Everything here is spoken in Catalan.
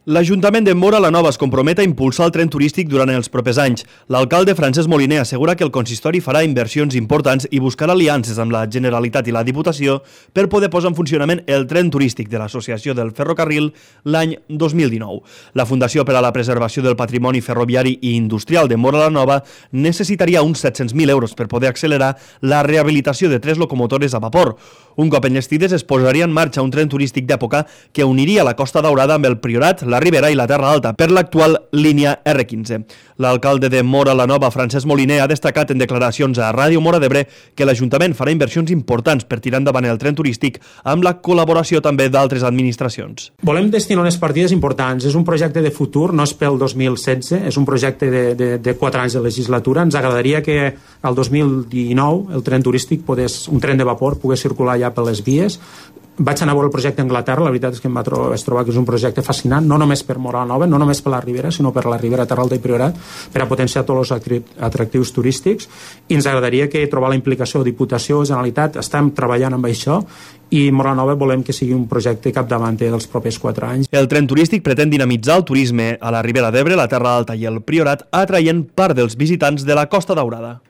L'Ajuntament de Móra la Nova es compromet a impulsar el tren turístic durant els propers anys. L'alcalde Francesc Moliner assegura que el consistori farà inversions importants i buscarà aliances amb la Generalitat i la Diputació per poder posar en funcionament el tren turístic de l'Associació del Ferrocarril l'any 2019. La Fundació per a la Preservació del Patrimoni Ferroviari i Industrial de Móra la Nova necessitaria uns 700.000 euros per poder accelerar la rehabilitació de 3 locomotores a vapor. Un cop enllestides es posaria en marxa un tren turístic d'època que uniria la Costa Daurada amb el Priorat, la Ribera i la Terra Alta per l'actual línia R15. L'alcalde de Móra la Nova, Francesc Moliner, ha destacat en declaracions a Ràdio Móra d'Ebre que l'Ajuntament farà inversions importants per tirar endavant el tren turístic amb la col·laboració també d'altres administracions. Volem destinar unes partides importants. És un projecte de futur, no és pel 2016, és un projecte de 4 anys de legislatura. Ens agradaria que el 2019 el tren turístic, un tren de vapor, pogués circular ja per les vies. Vaig anar a veure el projecte a Anglaterra, la veritat és que em vaig trobar que és un projecte fascinant, no només per Móra la Nova, no només per la Ribera, sinó per la Ribera, Terra Alta i Priorat, per a potenciar tots els atractius turístics, i ens agradaria que trobar la implicació de Diputació, Generalitat, estem treballant amb això, i Móra la Nova volem que sigui un projecte capdavanter dels propers 4 anys. El tren turístic pretén dinamitzar el turisme a la Ribera d'Ebre, la Terra Alta i el Priorat, atraient part dels visitants de la Costa Daurada.